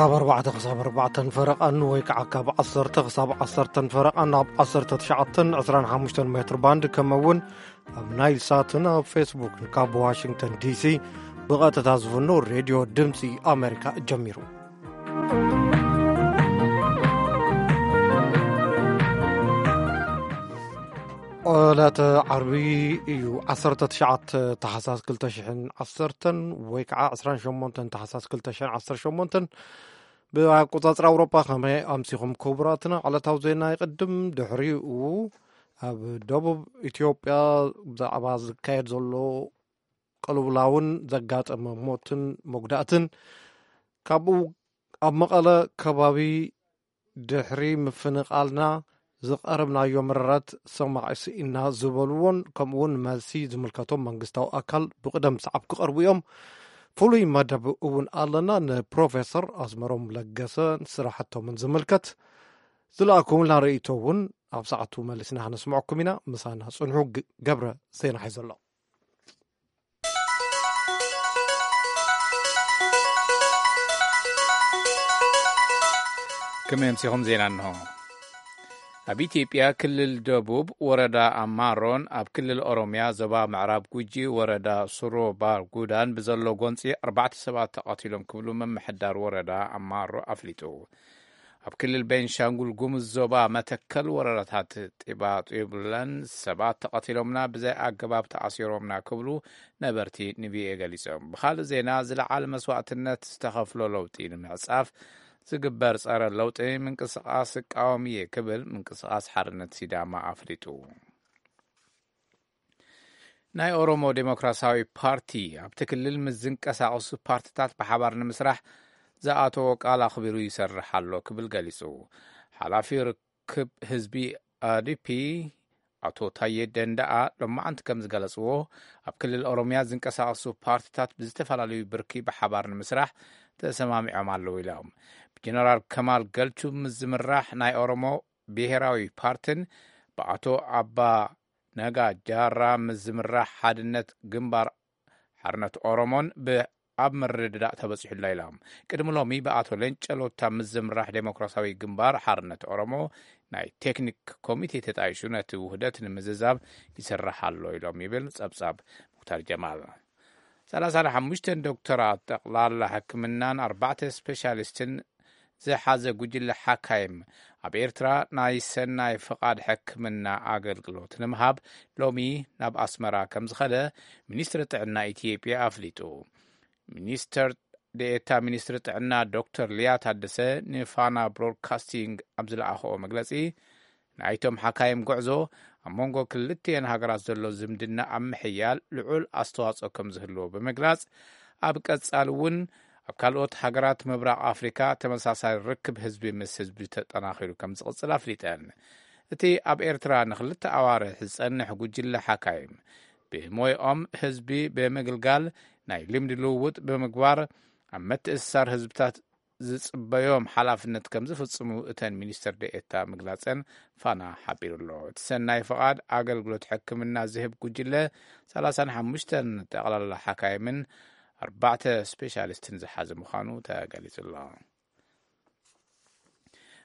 ካብ ኣርባዕተ ክሳብ ኣርባዕተን ፈረቓን ወይ ከዓ ካብ ዓሰርተ ክሳብ ዓሰርተን ፈረቓን ኣብ ዓሰርተ ትሽዓተን ዕስራን ሓሙሽተን ሜትር ባንድ፣ ከምኡ እውን ኣብ ናይል ሳትን ኣብ ፌስቡክን ካብ ዋሽንግተን ዲሲ ብቐጥታ ዝፍኖ ሬድዮ ድምፂ ኣሜሪካ ጀሚሩ። ዕለተ ዓርቢ እዩ፣ ዓሰርተ ትሽዓተ ታሕሳስ ክልተ ሽሕን ዓሰርተን ወይ ከዓ ዕስራን ሸሞንተን ታሕሳስ ክልተ ሽሕን ዓሰርተ ሸሞንተን። ብኣቆጻጽራ ኣውሮፓ ከመይ ኣምሲኹም ክቡራትና? ዕለታዊ ዜና ይቕድም። ድሕሪኡ ኣብ ደቡብ ኢትዮጵያ ብዛዕባ ዝካየድ ዘሎ ቅልውላውን ዘጋጠመ ሞትን መጉዳእትን፣ ካብኡ ኣብ መቐለ ከባቢ ድሕሪ ምፍንቓልና ዝቐረብናዮ መረረት ሰማዒ ስኢና ዝበልዎን ከምኡውን መልሲ ዝምልከቶም መንግስታዊ ኣካል ብቕደም ሰዓብ ክቐርቡ እዮም። ፍሉይ መደብ እውን ኣለና። ንፕሮፌሰር ኣስመሮም ለገሰ ስራሕቶምን ዝምልከት ዝለኣኩምልና ርእይቶ እውን ኣብ ሰዓቱ መሊስና ክነስምዐኩም ኢና። ምሳና ጽንሑ። ግ-፣ ገብረ ዜና ሒዙ ኣሎ። ከመይ ኣምሲኹም? ዜና እንሆ። ኣብ ኢትዮጵያ ክልል ደቡብ ወረዳ ኣማሮን ኣብ ክልል ኦሮሚያ ዞባ ምዕራብ ጉጂ ወረዳ ሱሮ ባር ጉዳን ብዘሎ ጎንፂ ኣርባዕተ ሰባት ተቐቲሎም ክብሉ ምምሕዳር ወረዳ ኣማሮ ኣፍሊጡ። ኣብ ክልል ቤንሻንጉል ጉሙዝ ዞባ መተከል ወረዳታት ጢባጢብለን ሰባት ተቐቲሎምና፣ ብዘይ ኣገባብ ተኣሲሮምና ክብሉ ነበርቲ ንቪኦኤ ገሊጾም። ብኻልእ ዜና፣ ዝለዓለ መስዋእትነት ዝተኸፍሎ ለውጢ ንምዕጻፍ ዝግበር ጸረ ለውጢ ምንቅስቓስ እቃወም እየ ክብል ምንቅስቓስ ሓርነት ሲዳማ ኣፍሊጡ። ናይ ኦሮሞ ዴሞክራሲያዊ ፓርቲ ኣብቲ ክልል ምስ ዝንቀሳቐሱ ፓርትታት ብሓባር ንምስራሕ ዝኣተዎ ቃል ኣኽቢሩ ይሰርሕ ኣሎ ክብል ገሊጹ። ሓላፊ ርክብ ህዝቢ ኦዲፒ ኣቶ ታዬ ደንደኣ ሎማዓንቲ ከም ዝገለጽዎ፣ ኣብ ክልል ኦሮሚያ ዝንቀሳቐሱ ፓርትታት ብዝተፈላለዩ ብርኪ ብሓባር ንምስራሕ ተሰማሚዖም ኣለዉ ኢሎም። ብጀነራል ከማል ገልቹ ምስ ዝምራሕ ናይ ኦሮሞ ብሄራዊ ፓርትን ብኣቶ ኣባ ነጋ ጃራ ምስ ዝምራሕ ሓድነት ግንባር ሓርነት ኦሮሞን ብ-፣ ኣብ ምርድዳእ ተበጺሑላ ኢሎም። ቅድሚ ሎሚ ብኣቶ ሌንጨ ሎታ ምስ ዝምራሕ ዴሞክራሲያዊ ግንባር ሓርነት ኦሮሞ ናይ ቴክኒክ ኮሚቴ ተጣይሹ ነቲ ውህደት ንምዝዛብ ይስራሕ ኣሎ ኢሎም ይብል ጸብጻብ ሙክታር ጀማል። ሰላሳን ሓሙሽተን ዶክተራት ጠቕላላ ሕክምናን ኣርባዕተ ስፔሻሊስትን ዝሓዘ ጉጅለ ሓካይም ኣብ ኤርትራ ናይ ሰናይ ፍቓድ ሕክምና ኣገልግሎት ንምሃብ ሎሚ ናብ ኣስመራ ከም ዝኸደ ሚኒስትሪ ጥዕና ኢትዮጵያ ኣፍሊጡ። ሚኒስትር ደኤታ ሚኒስትሪ ጥዕና ዶክተር ሊያ ታደሰ ንፋና ብሮድካስቲንግ ኣብ ዝለኣኽኦ መግለጺ፣ ናይቶም ሓካይም ጉዕዞ ኣብ መንጎ ክልቲኤን ሃገራት ዘሎ ዝምድና ኣብ ምሕያል ልዑል ኣስተዋጽኦ ከም ዝህልዎ ብምግላጽ፣ ኣብ ቀጻሊ እውን ኣብ ካልኦት ሃገራት ምብራቕ ኣፍሪካ ተመሳሳሊ ርክብ ህዝቢ ምስ ህዝቢ ተጠናኺሩ ከም ዝቕጽል ኣፍሊጠን። እቲ ኣብ ኤርትራ ንክልተ ኣዋርሕ ዝጸንሕ ጉጅለ ሓካይም ብሞይኦም ህዝቢ ብምግልጋል ናይ ልምዲ ልውውጥ ብምግባር ኣብ ምትእስሳር ህዝብታት ዝጽበዮም ሓላፍነት ከም ዝፍጽሙ እተን ሚኒስትር ደኤታ ምግላጸን ፋና ሓቢሩ ኣሎ። እቲ ሰናይ ፍቓድ ኣገልግሎት ሕክምና ዝህብ ጉጅለ ሰላሳን ሓሙሽተን ጠቕላላ ሓካይምን ኣርባዕተ ስፔሻሊስትን ዝሓዘ ምዃኑ ተገሊጹ ኣሎ።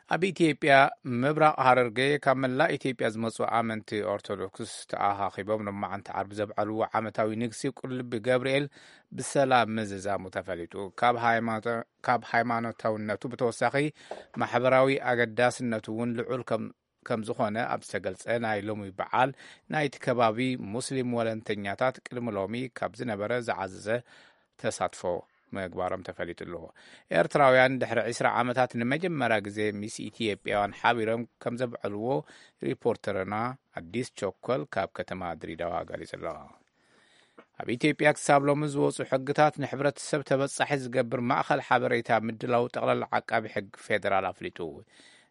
ኣብ ኢትዮጵያ ምብራቕ ሃረርጌ ካብ መላእ ኢትዮጵያ ዝመጹ ኣመንቲ ኦርቶዶክስ ተኣኻኺቦም ሎማዓንቲ ዓርቢ ዘብዓልዎ ዓመታዊ ንግሲ ቁልቢ ገብርኤል ብሰላም ምዝዛሙ ተፈሊጡ። ካብ ሃይማኖ-፣ ካብ ሃይማኖታውነቱ ብተወሳኺ ማሕበራዊ ኣገዳስነቱ እውን ልዑል ከም፣ ከም ዝኾነ ኣብ ዝተገልጸ ናይ ሎሚ በዓል ናይቲ ከባቢ ሙስሊም ወለንተኛታት ቅድሚ ሎሚ ካብ ዝነበረ ዝዓዘዘ ተሳትፎ ምግባሮም ተፈሊጡ ኣሎ። ኤርትራውያን ድሕሪ ዕስራ ዓመታት ንመጀመርያ ግዜ ምስ ኢትዮጵያውያን ሓቢሮም ከም ዘብዐልዎ ሪፖርተርና ኣዲስ ቸኮል ካብ ከተማ ድሬዳዋ ገሊጹ ኣሎ። ኣብ ኢትዮጵያ ክሳብ ሎሚ ዝወጹ ሕግታት ንሕብረተሰብ ተበጻሒ ዝገብር ማእኸል ሓበሬታ ምድላው ጠቕላላ ዓቃቢ ሕግ ፌደራል ኣፍሊጡ።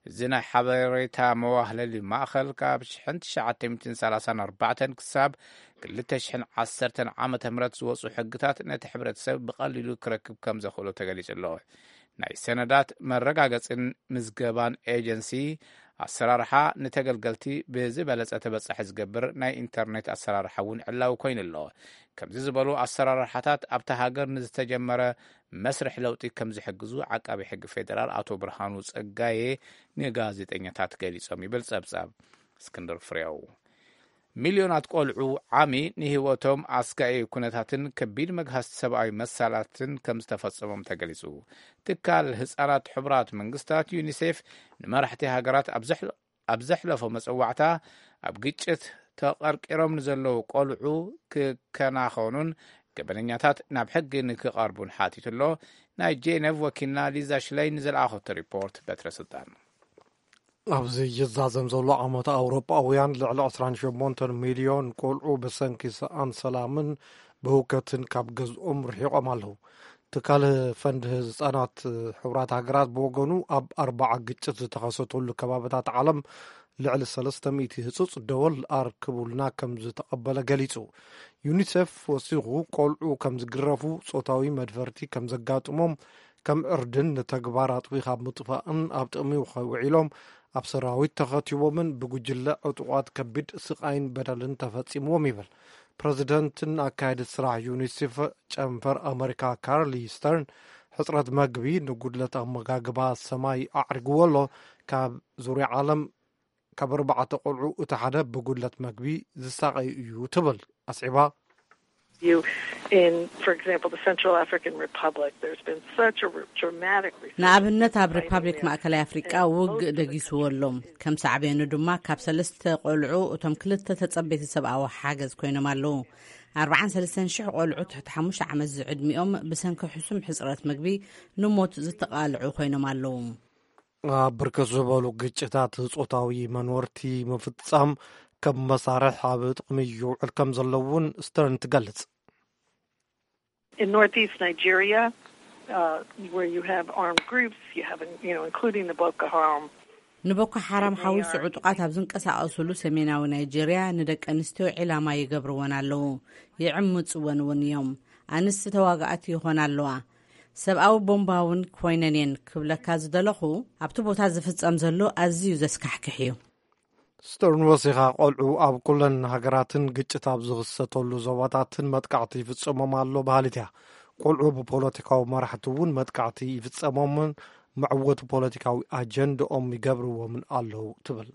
እዚ ናይ ሓበሬታ መዋህለሊ ማእኸል ካብ ሽሕን ትሽዓተ ሚእትን ሰላሳን ኣርባዕተን ክሳብ ክልተ ሽሕን ዓሰርተን ዓመተ ምህረት ዝወጹ ሕግታት ነቲ ሕብረተሰብ ብቐሊሉ ክረክብ ከም ዘኽእሎ ተገሊጹ ኣሎ። ናይ ሰነዳት መረጋገጽን ምዝገባን ኤጀንሲ ኣሰራርሓ ንተገልገልቲ ብዝበለጸ ተበጻሒ ዝገብር ናይ ኢንተርኔት ኣሰራርሓ እውን ዕላዊ ኮይኑ ኣሎ። ከምዚ ዝበሉ ኣሰራርሓታት ኣብታ ሃገር ንዝተጀመረ መስርሕ ለውጢ ከም ዝሕግዙ ዓቃቢ ሕጊ ፌደራል ኣቶ ብርሃኑ ጸጋዬ ንጋዜጠኛታት ገሊጾም ይብል ጸብጻብ እስክንድር ፍሬው። ሚልዮናት ቆልዑ ዓሚ ንህይወቶም ኣስጋኢ ኩነታትን ከቢድ መግሃስ ሰብኣዊ መሳላትን ከም ዝተፈጸሞም ተገሊጹ። ትካል ህጻናት ሕቡራት መንግስታት ዩኒሴፍ ንመራሕቲ ሃገራት ኣብ ዘሕለ- ኣብ ዘሕለፎ መጸዋዕታ ኣብ ግጭት ተቐርቂሮም ንዘለዉ ቆልዑ ክከናኸኑን ገበነኛታት ናብ ሕጊ ንክቐርቡን ሓቲቱ ኣሎ። ናይ ጄኔቭ ወኪልና ሊዛ ሽለይ ንዘለኣኸቶ ሪፖርት በትረ ስልጣን። ኣብዚ ይዛዘም ዘሎ ዓመት ኣውሮጳውያን ልዕሊ ዕስራን ሸሞንተን ሚልዮን ቆልዑ ብሰንኪ ሰኣን ሰላምን ብህውከትን ካብ ገዝኦም ርሒቖም ኣለዉ። ትካል ፈንድ ህፃናት ሕቡራት ሃገራት ብወገኑ ኣብ ኣርባዓ ግጭት ዝተኸሰተሉ ከባብታት ዓለም ልዕሊ ሰለስተ ሚእቲ ህፁፅ ደወል ኣርክቡልና ከም ዝተቐበለ ገሊፁ። ዩኒሴፍ ወሲኹ ቆልዑ ከም ዝግረፉ፣ ፆታዊ መድፈርቲ ከም ዘጋጥሞም፣ ከም ዕርድን ንተግባር ኣጥቢኻ ምጥፋእን ኣብ ጥቕሚ ውዒሎም ኣብ ሰራዊት ተኸቲቦምን ብጉጅለ ዕጡቓት ከቢድ ስቓይን በደልን ተፈጺምዎም ይብል። ፕረዚደንትን ኣካየዲ ስራሕ ዩኒሴፍ ጨንፈር ኣመሪካ ካርሊ ስተርን ሕጽረት መግቢ ንጉድለት ኣመጋግባ ሰማይ ኣዕሪግዎ ኣሎ። ካብ ዙርያ ዓለም ካብ ኣርባዕተ ቆልዑ እቲ ሓደ ብጉድለት መግቢ ዝሳቐዩ እዩ ትብል ኣስዒባ። You, in, for example, the Central African Republic, there's been such a re- dramatic resurgence. ንኣብነት ኣብ ሪፓብሊክ ማእከላይ ኣፍሪቃ ውግእ ደጊስዎ ኣሎ። ከም ሳዕቤኑ ድማ ካብ ሰለስተ ቆልዑ እቶም ክልተ ተጸበይቲ ሰብኣዊ ሓገዝ ኮይኖም ኣለዉ። ኣርባዓን ሰለስተን ሽሕ ቆልዑ ትሕቲ ሓሙሽተ ዓመት ዝዕድሚኦም ብሰንኪ ሕሱም ሕጽረት ምግቢ ንሞት ዝተቓልዑ ኮይኖም ኣለዉ። ኣብ ብርክት ዝበሉ ግጭታት ጾታዊ መንወርቲ ምፍጻም ከም መሳርሕ ኣብ ጥቕሚ ይውዕል ከም ዘሎ እውን ስተርን ትገልጽ። In northeast Nigeria, uh, where you have armed groups, you have, you know, including the Boko Haram. ንቦኮ ሓራም ሓዊሱ ዕጡቓት ኣብ ዝንቀሳቐሱሉ ሰሜናዊ ናይጄርያ ንደቂ ኣንስትዮ ዒላማ ይገብርወን ኣለዉ፣ ይዕምጽወን እውን እዮም። ኣንስቲ ተዋጋእቲ ይኾና ኣለዋ። ሰብኣዊ ቦምባ እውን ኮይነን እየን ክብለካ ዝደለኹ፣ ኣብቲ ቦታ ዝፍጸም ዘሎ ኣዝዩ ዘስካሕክሕ እዩ። ስተርን ወሲኻ ቆልዑ ኣብ ኩለን ሃገራትን ግጭት ኣብ ዝኽሰተሉ ዞባታትን መጥቃዕቲ ይፍጸሞም ኣሎ በሃሊት እያ። ቆልዑ ብፖለቲካዊ መራሕቲ እውን መጥቃዕቲ ይፍጸሞምን መዕወቲ ፖለቲካዊ ኣጀንድኦም ይገብርዎምን ኣለዉ ትብል።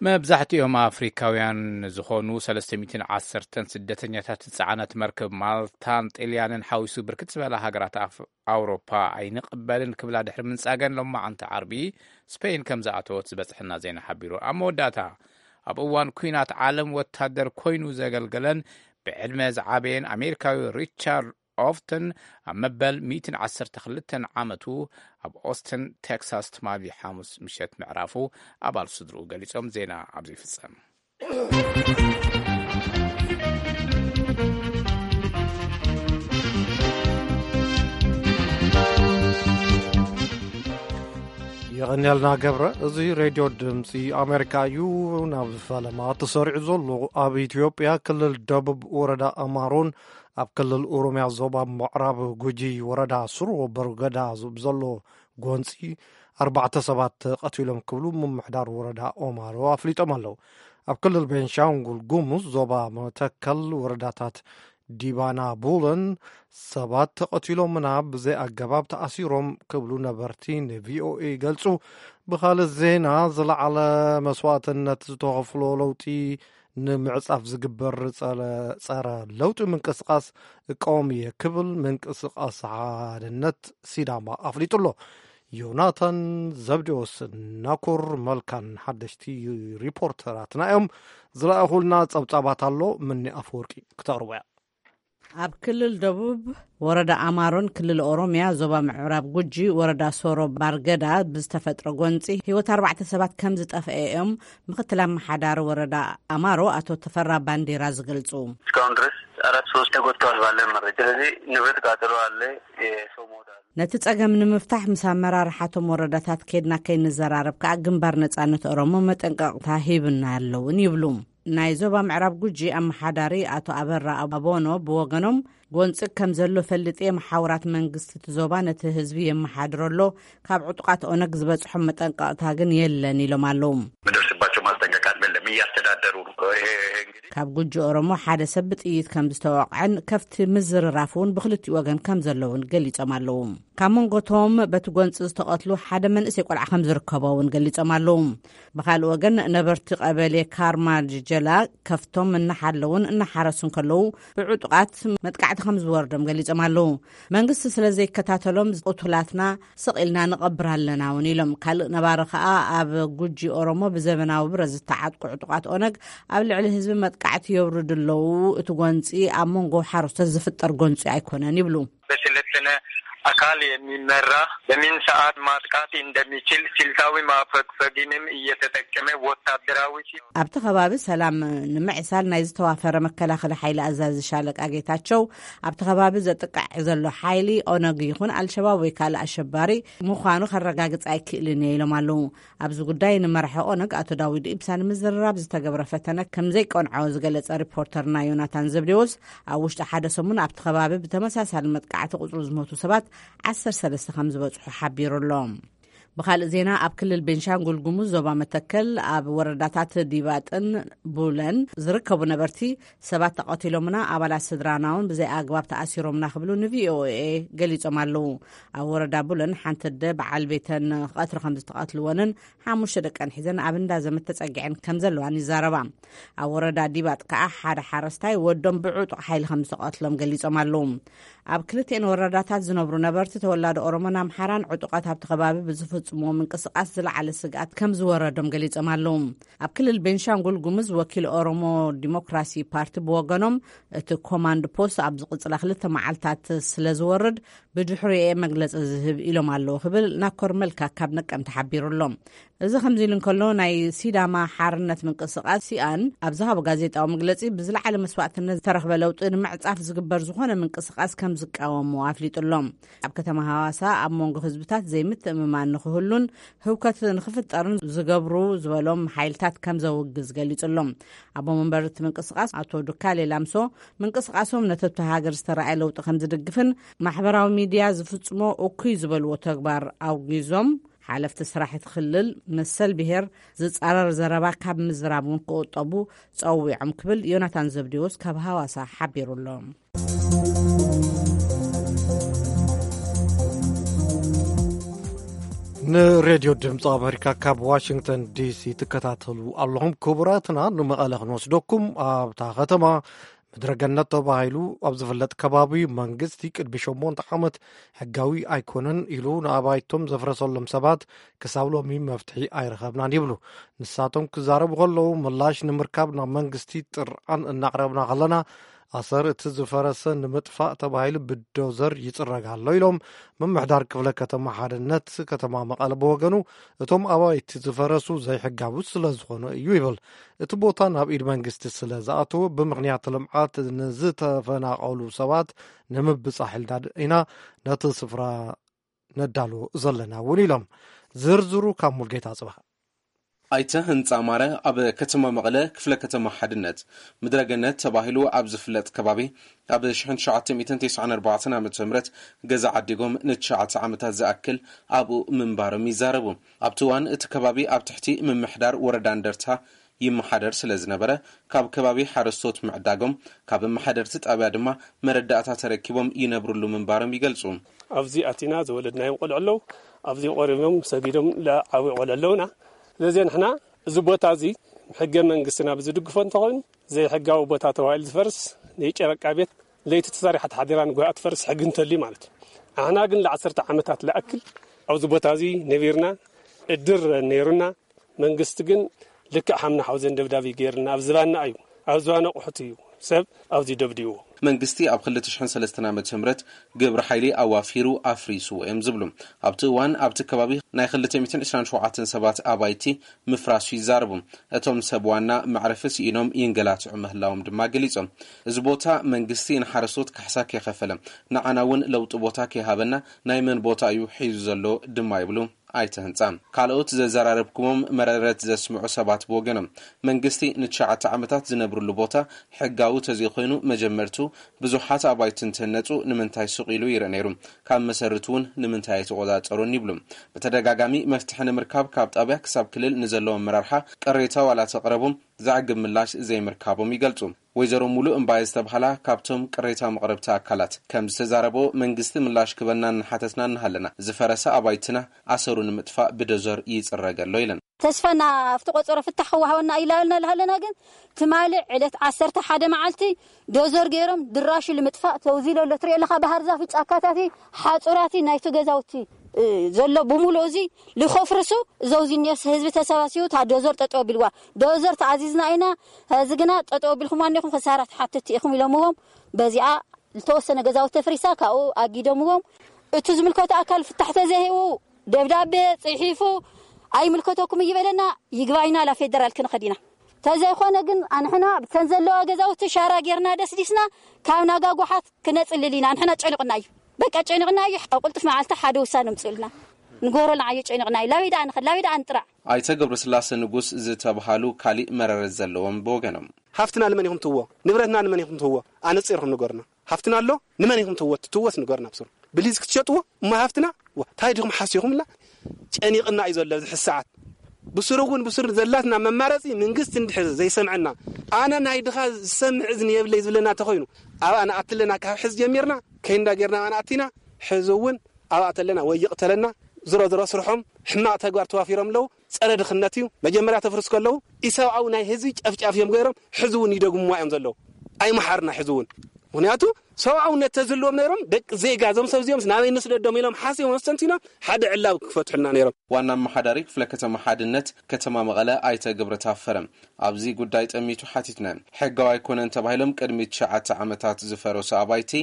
መብዛሕትኦም ኣፍሪካውያን ዝኾኑ ሰለስተ ሚእትን ዓሰርተን ስደተኛታት ዝጸዓነት መርከብ ማልታን ጢልያንን ሓዊሱ ብርክት ዝበላ ሃገራት ኣፍ- ኣውሮፓ ኣይንቕበልን ክብላ ድሕሪ ምንጻገን፣ ሎማዓንቲ ዓርቢ ስፔን ከም ዝኣተወት ዝበጽሐና ዜና ሓቢሩ። ኣብ መወዳእታ፣ ኣብ እዋን ኲናት ዓለም ወታደር ኮይኑ ዘገልገለን ብዕድመ ዝዓበየን ኣሜሪካዊ ሪቻርድ ኦፍተን ኣብ መበል ሚእትን ዓሰርተ ክልተን ዓመቱ ኣብ ኦስትን ቴክሳስ ትማሊ ሓሙስ ምሸት ምዕራፉ ኣባል ስድርኡ ገሊጾም። ዜና ኣብዚ ይፍጸም። የቐንያልና ገብረ። እዚ ሬድዮ ድምፂ ኣሜሪካ እዩ። ናብ ፈለማ ተሰሪዑ ዘሎ፣ ኣብ ኢትዮጵያ ክልል ደቡብ ወረዳ ኣማሮን ኣብ ክልል ኦሮምያ ዞባ ምዕራብ ጉጂ ወረዳ ሱሮ በርገዳ ዝ- ብዘሎ ጎንፂ ኣርባዕተ ሰባት ተቐቲሎም ክብሉ ምምሕዳር ወረዳ ኦማሮ ኣፍሊጦም ኣለዉ። ኣብ ክልል ቤንሻንጉል ጉሙዝ ዞባ መተከል ወረዳታት ዲባና ቡለን ሰባት ተቐቲሎምና ብዘይ ኣገባብ ተኣሲሮም ክብሉ ነበርቲ ንቪኦኤ ይገልጹ። ብኻልእ ዜና፣ ዝለዓለ መስዋእትነት ዝተኸፍሎ ለውጢ ንምዕጻፍ ዝግበር ጸረ ለውጢ ምንቅስቃስ እቃወም እየ ክብል ምንቅስቃስ ሓድነት ሲዳማ ኣፍሊጡ ኣሎ። ዮናታን ዘብዴዎስ፣ ናኮር መልካን ሓደሽቲ ሪፖርተራትና እዮም። ዝለኣኹልና ጸብጻባት ኣሎ። ምኒ ኣፈወርቂ ክተቕርቦ እያ። ኣብ ክልል ደቡብ ወረዳ ኣማሮን ክልል ኦሮምያ ዞባ ምዕራብ ጉጂ ወረዳ ሶሮ ባርገዳ ብዝተፈጥረ ጎንፂ ህይወት ኣርባዕተ ሰባት ከም ዝጠፍአ እዮም ምክትል ኣመሓዳሪ ወረዳ ኣማሮ ኣቶ ተፈራ ባንዴራ ዝገልፁ። እስካሁን ድረስ አራት ሰዎች ተጎድተዋል ባለን መረጃ። ስለዚህ ንብረት ቃጠሎ አለ፣ የሰው ሞት አለ። ነቲ ጸገም ንምፍታሕ ምስ ኣመራርሓቶም ወረዳታት ኬድና ከይንዘራረብ ከዓ ግንባር ነጻነት ኦሮሞ መጠንቀቕታ ሂብና ኣለውን ይብሉ። ናይ ዞባ ምዕራብ ጉጂ ኣመሓዳሪ ኣቶ ኣበራ ኣቦኖ ብወገኖም፣ ጎንፂ ከም ዘሎ ፈልጥ፣ የመሓውራት መንግስቲ እቲ ዞባ ነቲ ህዝቢ የመሓድሮ ኣሎ፣ ካብ ዕጡቃት ኦነግ ዝበፅሖም መጠንቀቕታ ግን የለን ኢሎም ኣለዉ። ምደርስባቸው ማስጠንቀቃት የለም፣ እያስተዳደሩ ነው። ይሄ እንግዲህ ካብ ጉጂ ኦሮሞ ሓደ ሰብ ብጥይት ከም ዝተወቕዐን ከፍቲ ምዝርራፍ እውን ብክልቲኡ ወገን ከም ዘለውን ገሊጾም ኣለዉ። ካብ መንጎቶም በቲ ጎንፂ ዝተቐትሉ ሓደ መንእሰይ ቆልዓ ከም ዝርከቦ እውን ገሊጾም ኣለዉ። ብኻልእ ወገን፣ ነበርቲ ቀበሌ ካርማ ጀላ ከፍቶም እናሓለውን እናሓረሱን ከለዉ፣ ብዕጡቓት መጥቃዕቲ ከም ዝወርዶም ገሊጾም ኣለዉ። መንግስቲ ስለ ዘይከታተሎም፣ ቅቱላትና ስቕ ኢልና ንቐብር ኣለና እውን ኢሎም። ካልእ ነባሪ ከኣ፣ ኣብ ጉጂ ኦሮሞ ብዘበናዊ ብረት ዝተዓጥቁ ዕጡቓት ኦነግ ኣብ ልዕሊ ህዝቢ መጥቃዕቲ የውርዱ ኣለዉ። እቲ ጎንፂ ኣብ መንጎ ሓረስቶት ዝፍጠር ጎንፂ ኣይኮነን ይብሉ። በሰለጠነ አካል የሚመራ በምን ሰዓት ማጥቃት እንደሚችል ስልታዊ ማፈግፈግንም እየተጠቀመ ወታደራዊ ሲ- ኣብቲ ከባቢ ሰላም ንምዕሳል ናይ ዝተዋፈረ መከላኸሊ ሓይሊ ኣዛዚ ሻለቃ ጌታቸው፣ ኣብቲ ከባቢ ዘጥቃዕ ዘሎ ሓይሊ ኦነግ ይኹን ኣልሸባብ ወይ ካልእ ኣሸባሪ ምዃኑ ከረጋግጽ ኣይክእልን እየ ኢሎም ኣለዉ። ኣብዚ ጉዳይ ንመራሒ ኦነግ ኣቶ ዳዊድ ኢብሳ ንምዝርራብ ዝተገብረ ፈተነ ከም ዘይቀንዖ ዝገለጸ ሪፖርተርና ዮናታን ዘብዴዎስ፣ ኣብ ውሽጢ ሓደ ሰሙን ኣብቲ ከባቢ ብተመሳሳሊ መጥቃዕቲ ቁጽሩ ዝሞቱ ሰባት ዓሰርተ ሰለስተ ከም ዝበጽሑ ሓቢሩ ኣሎ። ብኻልእ ዜና፣ ኣብ ክልል ቤንሻንጉል ጉሙዝ ዞባ መተከል ኣብ ወረዳታት ዲባጥን ቡለን ዝርከቡ ነበርቲ ሰባት ተቐቲሎምና፣ ኣባላት ስድራና እውን ብዘይ ኣግባብ ተኣሲሮምና ክብሉ ንቪኦኤ ገሊጾም ኣለዉ። ኣብ ወረዳ ቡለን ሓንቲ ኣደ በዓል ቤተን ቀትሪ ከም ዝተቐትልወንን ሓሙሽተ ደቀን ሒዘን ኣብ እንዳ ዘመድ ተጸጊዐን ከም ዘለዋን ይዛረባ። ኣብ ወረዳ ዲባጥ ከኣ ሓደ ሓረስታይ ወዶም ብዕጡቕ ሓይሊ ከም ዝተቐትሎም ገሊጾም ኣለዉ። ኣብ ክልቲኤን ወረዳታት ዝነብሩ ነበርቲ ተወላዶ ኦሮሞን ኣምሓራን ዕጡቓት ኣብቲ ከባቢ ብዝፍጽምዎ ምንቅስቓስ ዝለዓለ ስግኣት ከም ዝወረዶም ገሊጾም ኣለዉ። ኣብ ክልል ቤንሻንጉል ጉሙዝ ወኪል ኦሮሞ ዲሞክራሲ ፓርቲ ብወገኖም፣ እቲ ኮማንድ ፖስት ኣብ ዝቕጽላ ክልተ መዓልታት ስለ ዝወርድ ብድሕሪኡ እየ መግለጺ ዝህብ ኢሎም ኣለዉ ክብል ናኮር መልካ ካብ ነቀምቲ ሓቢሩ ኣሎ። እዚ ከምዚ ኢሉ እንከሎ፣ ናይ ሲዳማ ሓርነት ምንቅስቓስ ሲኣን ኣብ ዝሃቦ ጋዜጣዊ መግለጺ፣ ብዝለዓለ መስዋእትነት ዝተረኽበ ለውጢ ንምዕጻፍ ዝግበር ዝኾነ ምንቅስቓስ ከም ዝቃወሞ ኣፍሊጡ ኣሎ። ኣብ ከተማ ሃዋሳ ኣብ መንጎ ህዝብታት ዘይምትእምማን ንክህሉን ህውከት ንክፍጠርን ዝገብሩ ዝበሎም ሓይልታት ከም ዘውግዝ ገሊጹ ኣሎ። ኣቦ መንበር እቲ ምንቅስቓስ ኣቶ ዱካሌ ላምሶ፣ ምንቅስቓሶም ነቲ ኣብቲ ሃገር ዝተረኣየ ለውጢ ከም ዝድግፍን ማሕበራዊ ሚድያ ዝፍጽሞ እኩይ ዝበልዎ ተግባር ኣውጊዞም፣ ሓለፍቲ ስራሕ እቲ ክልል መሰል ብሄር ዝጻረር ዘረባ ካብ ምዝራብ እውን ክቑጠቡ ጸዊዖም ክብል ዮናታን ዘብዴዎስ ካብ ሃዋሳ ሓቢሩ ኣሎ። ንሬድዮ ድምፂ ኣሜሪካ ካብ ዋሽንግተን ዲሲ ትከታተሉ ኣለኹም። ክቡራትና፣ ንመቐለ ክንወስደኩም። ኣብታ ከተማ ምድረ ገነት ተባሂሉ ኣብ ዝፍለጥ ከባቢ፣ መንግስቲ ቅድሚ ሸሞንተ ዓመት ሕጋዊ ኣይኮነን ኢሉ ንኣባይቶም ዘፍረሰሎም ሰባት ክሳብ ሎሚ መፍትሒ ኣይረኸብናን ይብሉ። ንሳቶም ክዛረቡ ከለዉ፣ ምላሽ ንምርካብ ናብ መንግስቲ ጥርዓን እናቕረብና ከለና፣ ኣሰር እቲ ዝፈረሰ ንምጥፋእ ተባሂሉ ብዶዘር ይጽረግ ኣሎ ኢሎም። ምምሕዳር ክፍለ ከተማ ሓድነት ከተማ መቐለ ብወገኑ፣ እቶም ኣባይቲ ዝፈረሱ ዘይሕጋዊ ስለ ዝኾኑ እዩ ይብል። እቲ ቦታ ናብ ኢድ መንግስቲ ስለ ዝኣተወ፣ ብምኽንያት ልምዓት ንዝተፈናቐሉ ሰባት ንምብጻሕ ኢልና ኢና ነቲ ስፍራ ነዳሉ ዘለና እውን ኢሎም። ዝርዝሩ ካብ ሙልጌታ ጽባሕ። ኣይተ ህንፃ ማረ ኣብ ከተማ መቐለ ክፍለ ከተማ ሓድነት ምድረገነት ተባሂሉ ኣብ ዝፍለጥ ከባቢ ኣብ ሺሕ ትሽዓተ ሚእትን ተስዓን ኣርባዕተን ዓመተ ምህረት ገዛ ዓዲጎም ንትሽዓተ ዓመታት ዝኣክል ኣብኡ ምንባሮም ይዛረቡ። ኣብቲ እዋን እቲ ከባቢ ኣብ ትሕቲ ምምሕዳር ወረዳ እንደርታ ይመሓደር ስለ ዝነበረ፣ ካብ ከባቢ ሓረስቶት ምዕዳጎም፣ ካብ ኣመሓደርቲ ጣብያ ድማ መረዳእታ ተረኪቦም ይነብርሉ ምንባሮም ይገልጹ። ኣብዚ ኣቲና ዝወለድናዮም ቆልዑ ኣለዉ። ኣብዚ ቆሪቦም ሰጊዶም ለዓብዩ ቆልዑ ኣለዉና። ስለዚ ንሕና እዚ ቦታ እዚ ሕገ መንግስትና ብዝድግፎ እንተኾይኑ፣ ዘይሕጋዊ ቦታ ተባሂሉ ዝፈርስ፣ ናይ ጨረቃ ቤት፣ ለይቲ ተሰሪሓ ተሓዲራ ንጉሆ ትፈርስ ሕጊ እንተልዩ ማለት እዩ። ንሕና ግን ለዓሰርተ ዓመታት ለኣክል ኣብዚ ቦታ እዚ ነቢርና፣ እድር ነይሩና። መንግስቲ ግን ልክዕ ሓምና ሓውዘን ደብዳብ እዩ ገይርና፣ ኣብ ዝባና እዩ፣ ኣብ ዝባና ኣቑሑት እዩ ሰብ ኣብዚ ደብዲዎ። መንግስቲ ኣብ ክልተ ሽሕን ሰለስተን ዓመተ ምህረት ግብረ ሓይሊ ኣዋፊሩ ኣፍሪስዎ እዮም ዝብሉ። ኣብቲ እዋን ኣብቲ ከባቢ ናይ ክልተ ሚእትን ዕስራን ሸውዓተን ሰባት ኣባይቲ ምፍራሱ ይዛረቡ። እቶም ሰብ ዋና መዕረፊ ስኢኖም ይንገላትዑ ምህላዎም ድማ ገሊጾም። እዚ ቦታ መንግስቲ ንሓረስቶት ካሕሳ ከይኸፈለ፣ ንዓና እውን ለውጢ ቦታ ከይሃበና ናይ መን ቦታ እዩ ሒዙ ዘሎ ድማ ይብሉ። ኣይተ ህንፃ። ካልኦት ዘዘራረብኩዎም መረረት ዘስምዑ ሰባት ብወገኖም፣ መንግስቲ ንትሽዓተ ዓመታት ዝነብርሉ ቦታ ሕጋዊ ተዘይኮይኑ፣ መጀመርቱ ብዙሓት ኣባይቲ እንትህነፁ ንምንታይ ሱቕ ኢሉ ይርኢ ነይሩ? ካብ መሰርቱ እውን ንምንታይ ኣይተቆፃፀሩን? ይብሉ። ብተደጋጋሚ መፍትሒ ንምርካብ ካብ ጣብያ ክሳብ ክልል ንዘለዎ ኣመራርሓ ቅሬታ ዋላ ተቕረቡ፣ ዘዕግብ ምላሽ ዘይምርካቦም ይገልጹ። ወይዘሮ ሙሉ እምባየ ዝተባህላ ካብቶም ቅሬታ መቕረብቲ ኣካላት ከም ዝተዛረቦ፣ መንግስቲ ምላሽ ክበና እናሓተትና እናሃለና፣ ዝፈረሰ ኣባይትና ኣሰሩ ንምጥፋእ ብደዞር ይጽረግ ኣሎ ኢለን። ተስፋና ኣብቲ ቆጸሮ ፍታሕ ክወሃበና ኢላልና እናሃለና ግን፣ ትማሊ ዕለት ዓሰርተ ሓደ መዓልቲ ዶዘር ገይሮም ድራሹ ንምጥፋእ ተውዚሎ ኣሎ። ትሪኦ ኣለኻ፣ ባህር ዛፍ፣ ጫካታቲ፣ ሓጹራቲ ናይቲ ገዛውቲ እ፣ ዘሎ ብምሉእ እዚ ልኸፍርሱ፣ ዘውዚ እኒኦስ ህዝቢ ተሰባሲቡ እታ ዶዘር ጠጠው ኣቢልዋ። ዶዘር ተኣዚዝና ኢና፣ ሕዚ ግና ጠጠው ኣቢልኩማ እኒኹም፣ ክሳራ ትሓትት ኢኹም ኢሎምዎም። በዚኣ ዝተወሰነ ገዛውቲ ተፍሪሳ ካብኡ ኣጊዶምዎም። እቲ ዝምልከቶ ኣካል ፍታሕ ተዘይህቡ፣ ደብዳቤ ጽሒፉ፣ ኣይምልከተኩም እዩ በለና፣ ይግባይና ላ ፌደራል ክንኸድ ኢና። ተዘይኮነ ግን ኣንሕና ብተን ዘለዋ ገዛውቲ ሻራ ጌርና ደስዲስና ካብ ናጋ ጓሓት ክነጽልል ኢና። ኣንሕና ጨኒቕና እዩ፣ በቃ ጨኒቕና እዩ። ኣብ ቅልጡፍ መዓልቲ ሓደ ውሳነ ምጽኡልና፣ ንጎሮልና ኣዩ ጨኒቕና እዩ። ላበይ ደኣ ንኸድ፣ ላበይ ደኣ ንጥራዕ? ኣይተ ገብረስላሴ ንጉስ ዝተባሃሉ ካሊእ መረረት ዘለዎም ብወገኖም፣ ሃፍትና ንመን ኢኹም ትዎ? ንብረትና ንመን ኢኹም ትዎ? ኣነጺርኩም ንገሩና። ሃፍትና ኣሎ፣ ንመን ኢኹም ትዎ? ትትወስ ንገሩና ብስሩ። ብሊዝ ክትሸጥዎ እሞ ሃፍትና? ዋ፣ ታይ ዲኹም ሓሲኹምላ? ጨኒቕና እዩ ዘሎ ኣብዚ ሕዚ ሰዓት። ብስሩ እውን ብስሩ ዘላትና መማረፂ መንግስቲ እንድሕር ዘይሰምዐና፣ ኣነ ናይ ድኻ ዝሰምዕ እዝኒ የብለይ ዝብለና ተኾይኑ፣ ኣብኣ ንኣትለና ካብ ሕዚ ጀሚርና ከይንዳ ጌርና ኣብኣ ንኣቲና፣ ሕዚ እውን ኣብኣ ተለና ወይ ይቕተለና። ዝሮ ዝሮ ስርሖም ሕማቕ ተግባር ተዋፊሮም ኣለዉ። ጸረ ድኽነት እዩ። መጀመርያ ተፍርስ ከለዉ ኢሰብኣዊ ናይ ህዝቢ ጨፍጫፍ እዮም ገይሮም፣ ሕዚ እውን ይደግምዋ እዮም ዘለዉ። ኣይመሓርና ሕዚ እውን። ምኽንያቱ ሰብኣውነት ተዝህልዎም ነይሮም፣ ደቂ ዜጋ እዞም ሰብ እዚኦም ናበይ ንስደዶም ኢሎም ሓሲቦም ኣስተንቲኖም ሓደ ዕላዊ ክፈትሑልና ነይሮም። ዋና ኣመሓዳሪ ክፍለ ከተማ ሓድነት ከተማ መቐለ ኣይተ ገብረ ታፈረ ኣብዚ ጉዳይ ጠሚቱ ሓቲትና። ሕጋዊ ኣይኮነን ተባሂሎም ቅድሚ ትሽዓተ ዓመታት ዝፈረሱ ኣባይቲ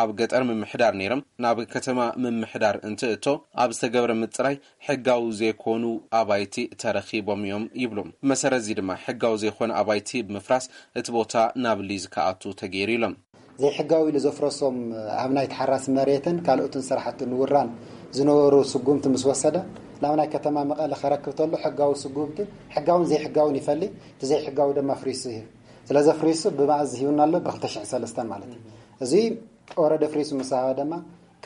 ኣብ ገጠር ምምሕዳር ነይሮም ናብ ከተማ ምምሕዳር እንትእቶ ኣብ ዝተገብረ ምፅራይ ሕጋዊ ዘይኮኑ ኣባይቲ ተረኺቦም እዮም ይብሉ። ብመሰረት እዚ ድማ ሕጋዊ ዘይኮነ ኣባይቲ ብምፍራስ እቲ ቦታ ናብ ሊዝ ክኣቱ ተገይሩ ኢሎም። ዘይሕጋዊ ኢሉ ዘፍረሶም ኣብ ናይ ተሓራሲ መሬትን ካልኦትን ስራሕቲ ንውራን ዝነበሩ ስጉምቲ ምስ ወሰደ፣ ናብ ናይ ከተማ መቐለ ከረክብ ተሎ ሕጋዊ ስጉምቲ፣ ሕጋውን ዘይሕጋውን ይፈሊ፣ እቲ ዘይሕጋዊ ድማ ፍሪሱ ይህብ። ስለዚ ፍሪሱ ብመኣዝ ሂቡና ኣሎ? ብ ክልተ ሽሕን ሰለስተን ማለት እዩ። እዚ ኦረደ ፍሪሱ ምስ ሃበ ድማ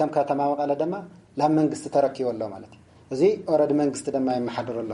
ከም ከተማ መቐለ ድማ ናብ መንግስቲ ተረኪቡ ኣሎ ማለት እዩ። እዚ ኦረዲ መንግስቲ ድማ የመሓድር ኣሎ።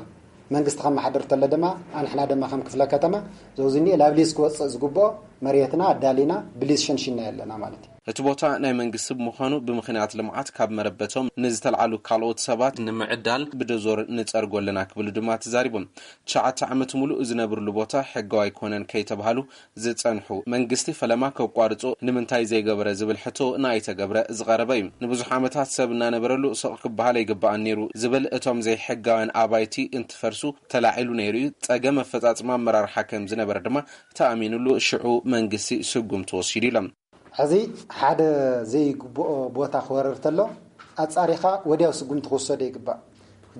መንግስቲ ከመሓድር ተሎ ድማ ኣንሕና ድማ ከም ክፍለ ከተማ ዘውዝኒ ናብ ሊዝ ክወፅእ ዝግብኦ መሬትና ኣዳሊና ብሊዝ ሸንሺና ኣለና ማለት እዩ። እቲ ቦታ ናይ መንግስቲ ብምዃኑ ብምኽንያት ልምዓት ካብ መረበቶም ንዝተልዓሉ ካልኦት ሰባት ንምዕዳል ብደዞር ንጸርጎ ኣለና ክብሉ ድማ ተዛሪቦም። ትሽዓተ ዓመት ሙሉእ ዝነብርሉ ቦታ ሕጋዊ ኣይኮነን ከይተባሃሉ ዝጸንሑ መንግስቲ ፈለማ ከቋርጾ ንምንታይ ዘይገበረ ዝብል ሕቶ ንኣይተ ገብረ ዝቐረበ እዩ። ንብዙሕ ዓመታት ሰብ እናነበረሉ ስቕ ክበሃል ኣይግባኣን ነይሩ ዝብል እቶም ዘይሕጋውያን ኣባይቲ እንትፈርሱ ተላዒሉ ነይሩ እዩ። ጸገም ኣፈጻጽማ ኣመራርሓ ከም ዝነበረ ድማ ተኣሚኑሉ ሽዑ መንግስቲ ስጉምቲ ወሲዱ ኢሎም። ሕዚ ሓደ ዘይግብኦ ቦታ ክወረር ተሎ ኣጻሪኻ ወዲያው ስጉምቲ ክውሰዶ ይግባእ።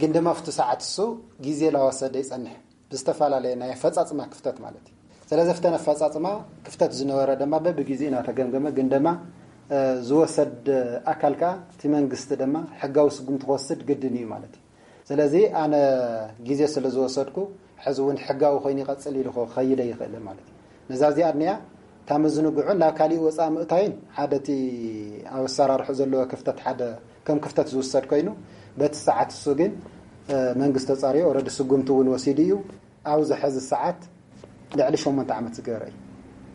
ግን ድማ ኣብቲ ሰዓት እሱ ግዜ ላወሰደ ይጸንሕ። ብዝተፈላለየ ናይ ኣፈጻጽማ ክፍተት ማለት እዩ። ስለዚ ኣብተን ኣፈጻጽማ ክፍተት ዝነበረ ድማ በብግዜ እናተገምገመ ግን ድማ ዝወሰድ ኣካል ከኣ እቲ መንግስቲ ድማ ሕጋዊ ስጉምቲ ክወስድ ግድን እዩ ማለት እዩ። ስለዚ ኣነ ግዜ ስለ ዝወሰድኩ ሕዚ እውን ሕጋዊ ኮይኑ ይቐጽል ኢሉ ክኸይድ ኣይኽእልን ማለት እዩ። ነዛ እዚኣ እኒኣ እታ ምዝንግዑን ናብ ካሊእ ወፃኢ ምእታይን ሓደ እቲ ኣብ ኣሰራርሑ ዘለዎ ክፍተት ሓደ ከም ክፍተት ዝውሰድ ኮይኑ በቲ ሰዓት እሱ ግን መንግስቲ ተፃሪዮ ኦረዲ ስጉምቲ እውን ወሲዱ እዩ። ኣብዚ ሕዚ ሰዓት ልዕሊ ሸሞንተ ዓመት ዝገበረ እዩ።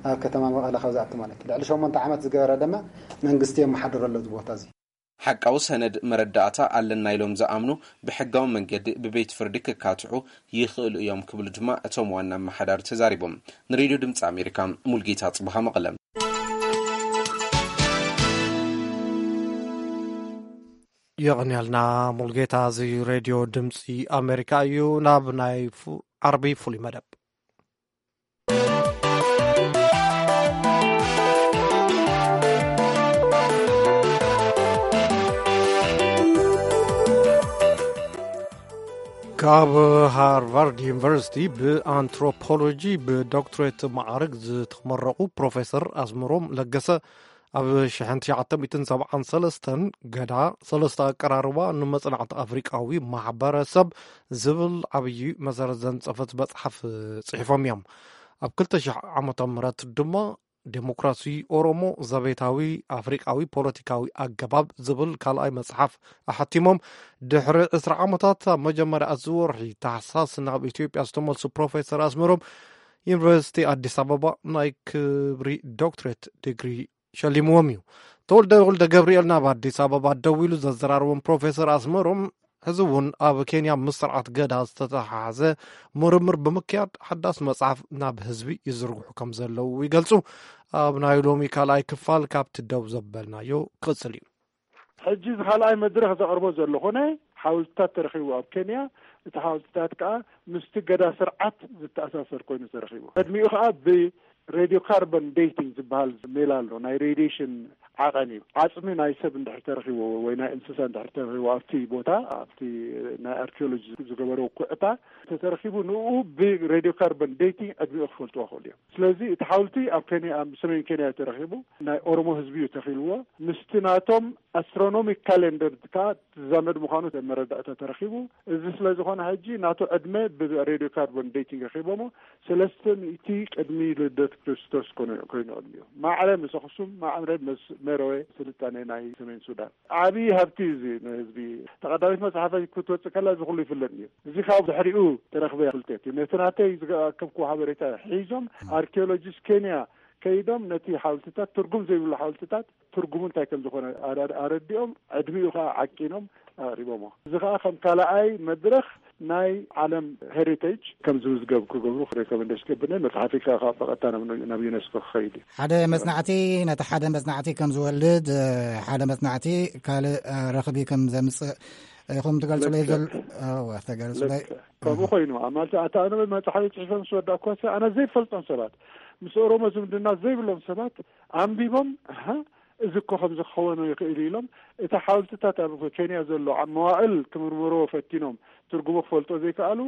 ኣብ ከተማ መቐለ ካብ ዝኣቱ ማለት እዩ። ልዕሊ ሸሞንተ ዓመት ዝገበረ ድማ መንግስቲ የመሓድሮ ኣሎ እዚ ቦታ እዚ። ሓቃዊ ሰነድ መረዳእታ ኣለና ኢሎም ዝኣምኑ ብሕጋዊ መንገዲ ብቤት ፍርዲ ክካትዑ ይኽእሉ እዮም ክብሉ ድማ እቶም ዋና ኣመሓዳሪ ተዛሪቦም። ንሬድዮ ድምፂ ኣሜሪካ ሙልጌታ ጽብሃ መቐለ። የቐንያልና ሙልጌታ። እዚ ሬድዮ ድምፂ ኣሜሪካ እዩ። ናብ ናይ ዓርቢ ፍሉይ መደብ ካብ ሃርቫርድ ዩኒቨርሲቲ ብኣንትሮፖሎጂ ብዶክትሬት ማዕርግ ዝተመረቑ ፕሮፌሰር ኣስመሮም ለገሰ ኣብ ሽሕን ትሽዓተ ሚእትን ሰብዓን ሰለስተን ገዳ ሰለስተ ኣቀራርባ ንመጽናዕቲ ኣፍሪቃዊ ማሕበረሰብ ዝብል ዓብዪ መሰረት ዘንጸፈት መጽሓፍ ጽሒፎም እዮም። ኣብ ክልተ ሽሕ ዓመተ ምህረት ድማ ዴሞክራሲ ኦሮሞ ዘቤታዊ ኣፍሪቃዊ ፖለቲካዊ ኣገባብ ዝብል ካልኣይ መጽሓፍ ኣሐቲሞም። ድሕሪ ዕስራ ዓመታት ኣብ መጀመርያ እዚ ወርሒ ታሕሳስ ናብ ኢትዮጵያ ዝተመልሱ ፕሮፌሰር ኣስመሮም ዩኒቨርሲቲ ኣዲስ ኣበባ ናይ ክብሪ ዶክትሬት ዲግሪ ሸሊምዎም እዩ። ተወልደ ወልደ ገብርኤል ናብ ኣዲስ ኣበባ ደዊሉ ዘዘራርቦም ፕሮፌሰር ኣስመሮም ሕዚ እውን ኣብ ኬንያ ምስ ስርዓት ገዳ ዝተተሓሓዘ ምርምር ብምክያድ ሓዳስ መጽሓፍ ናብ ህዝቢ ይዝርግሑ ከም ዘለዉ ይገልጹ። ኣብ ናይ ሎሚ ካልኣይ ክፋል ካብቲ ደው ዘበልናዮ ክቕጽል እዩ። ሕጂ እዚ ካልኣይ መድረኽ ዘቕርቦ ዘለኹ ናይ ሓወልትታት ተረኺቡ ኣብ ኬንያ። እቲ ሓወልትታት ከዓ ምስቲ ገዳ ስርዓት ዝተኣሳሰር ኮይኑ ተረኺቡ። ቅድሚኡ ከዓ ብሬድዮ ካርቦን ዴቲንግ ዝበሃል ሜላ ኣሎ፣ ናይ ሬዲሽን ዓቐን እዩ። ዓፅሚ ናይ ሰብ እንድሕር ተረኺቡ ወይ ናይ እንስሳ እንድሕር ተረኺቡ ኣብቲ ቦታ፣ ኣብቲ ናይ ኣርኪኦሎጂ ዝገበረው ኩዕታ ተተረኺቡ፣ ንኡ ብሬድዮ ካርቦን ዴቲንግ ዕድሚኡ ክፈልጥዎ ክኽእሉ እዮም። ስለዚ እቲ ሓውልቲ ኣብ ኬንያ፣ ኣብ ሰሜን ኬንያ ተረኺቡ፣ ናይ ኦሮሞ ህዝቢ እዩ ተኺልዎ። ምስቲ ናቶም ኣስትሮኖሚክ ካሌንደር ከዓ ዝዛመድ ምዃኑ መረዳእታ ተረኺቡ። እዚ ስለ ዝኾነ ሕጂ ናቱ ዕድመ ብሬድዮ ካርቦን ዴቲንግ ረኺቦሞ። ሰለስተ ሚእቲ ቅድሚ ልደት ክርስቶስ ኮይኑ፣ ኮይኑ ዕድሚኡ። ማዕረ ምስ ኣኽሱም፣ ማዕረ ምስ መረወ ስልጣነ ናይ ሰሜን ሱዳን። ዓብዪ ሃብቲ እዩ እዚ ንህዝቢ። ተቐዳሚት መጽሓፈይ ክትወጽእ ከላ እዚ ኩሉ ይፍለጥ እዩ። እዚ ካብ ድሕሪኡ ተረኽበ ፍልጠት እዩ። ነቲ ናተይ ዝኣከብኩ ሓበሬታ ሒዞም ኣርኪኦሎጂስት ኬንያ ከይዶም ነቲ ሓወልትታት፣ ትርጉም ዘይብሉ ሓወልትታት ትርጉሙ እንታይ ከም ዝኾነ ኣረ-፣ ኣረዲኦም፣ ዕድሚኡ ከዓ ዓቂኖም ኣቕሪቦሞ። እዚ ከዓ ከም ካልኣይ መድረኽ ናይ ዓለም ሄሪቴጅ ከም ዝምዝገብ ክገብሩ ሬኮመንዴሽን ገብነ። መጽሓፊ ከዓ ካብ በቐጥታ ናብ፣ ናብ ዩኔስኮ ክኸይድ እዩ። ሓደ መጽናዕቲ፣ ነቲ ሓደ መጽናዕቲ ከም ዝወልድ፣ እ፣ ሓደ መጽናዕቲ ካልእ፣ እ፣ ረኽቢ ከም ዘምጽእ ኢኹም ትገልጹለይ። ልክዕ። ዘል-፣ እወ፣ ተገልጹለይ። ልክዕ። ከምኡ እህ። ኮይኑ፣ ኣብ ማለት ኣታ ኣነ መጽሓፊ ጽሒፈ ምስ ወዳእኩ፣ ኣነ ዘይፈልጦም ሰባት፣ ምስ ኦሮሞ ዝምድና ዘይብሎም ሰባት ኣንቢቦም፣ ኣሃ፣ እዚ እኮ ከም ዝኸውን ይኽእል ኢሎም፣ እቲ ሓወልትታት ኣብ ኬንያ ዘሎ ኣብ መዋእል ክምርምርዎ ፈቲኖም ትርጉሙ ክፈልጦ ዘይከኣሉ፣